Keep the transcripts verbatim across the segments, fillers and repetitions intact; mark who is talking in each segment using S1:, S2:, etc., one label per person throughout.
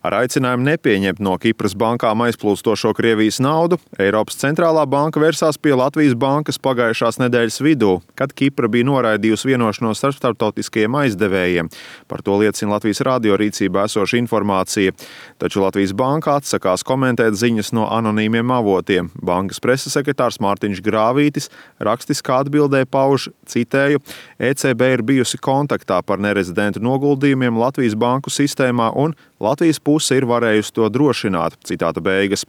S1: Ar aicinājumu nepieņemt no Kipras bankām aizplūstošo Krievijas naudu, Eiropas centrālā banka vērsās pie Latvijas bankas pagājušās nedēļas vidū, kad Kipra bija noraidījusi vienošanos ar starptautiskajiem aizdevējiem. Par to liecina Latvijas radio rīcībā esoša informācija. Taču Latvijas banka atsakās komentēt ziņas no anonīmiem avotiem. Bankas preses sekretārs Mārtiņš Grāvītis rakstiskā atbildē pauž, citēju, E C B ir bijusi kontaktā par nerezidentu noguldījumiem Latvijas banku sistēmā un Latvijas puse ir varējusi to drošināt, citāta beigas.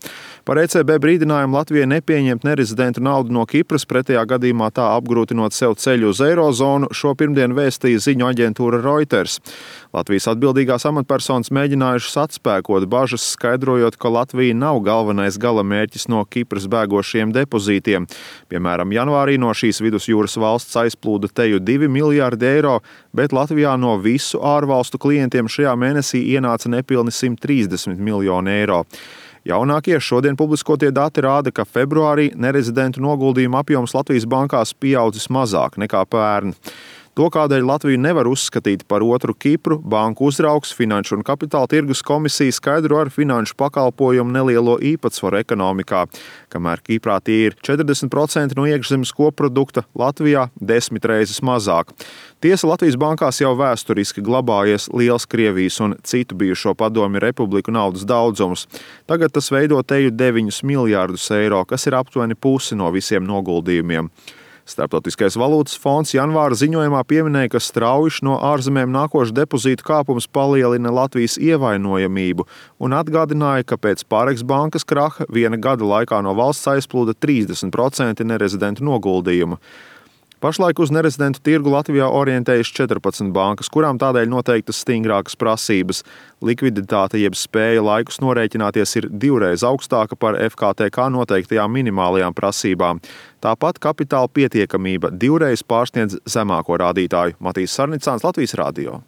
S1: Par E C B brīdinājumu Latvijai nepieņemt nerezidentu naudu no Kipras, pretējā gadījumā tā apgrūtinot sev ceļu uz eirozonu, šo pirmdienu vēstīja ziņu aģentūra Reuters. Latvijas atbildīgās amatpersonas mēģinājušas atspēkot bažas, skaidrojot, ka Latvija nav galvenais galamērķis no Kipras bēgošiem depozītiem. Piemēram, janvārī no šīs vidusjūras valsts aizplūda teju divi miljārdi eiro, bet Latvijā no visu ārvalstu klientiem šajā mēnesī ienāca nepilni simt trīsdesmit miljoni eiro. Jaunākie šodien publiskotie dati rāda, ka februārī nerezidentu noguldījumu apjoms Latvijas bankās pieaudzis mazāk nekā pērn. To, kādēļ Latviju nevar uzskatīt par otru Kipru, banku uzraugs Finanšu un kapitāla tirgus komisija skaidro ar finanšu pakalpojumu nelielo īpatsvaru ekonomikā. Kamēr Kiprā tie ir četrdesmit procenti no iekšzemes koprodukta, Latvijā desmit reizes mazāk. Tiesa, Latvijas bankās jau vēsturiski glabājies liels Krievijas un citu bijušo padomju republiku naudas daudzums. Tagad tas veido teju deviņus miljārdus eiro, kas ir aptuveni pusi no visiem noguldījumiem. Starptautiskais valūtas fonds janvāra ziņojumā pieminēja, ka strauji no ārzemēm nākošu depozītu kāpums palielina Latvijas ievainojamību un atgādināja, ka pēc Pāreks bankas kraha viena gada laikā no valsts aizplūda trīsdesmit procenti nerezidentu noguldījumu. Pašlaik uz nerezidentu tirgu Latvijā orientējas četrpadsmit bankas, kurām tādēļ noteiktas stingrākas prasības. Likviditāte jeb spēja laikus norēķināties ir divreiz augstāka par F K T K noteiktajām minimālajām prasībām. Tāpat kapitāla pietiekamība divreiz pārsniedz zemāko rādītāju. Matīs Sarnicāns, Latvijas radio.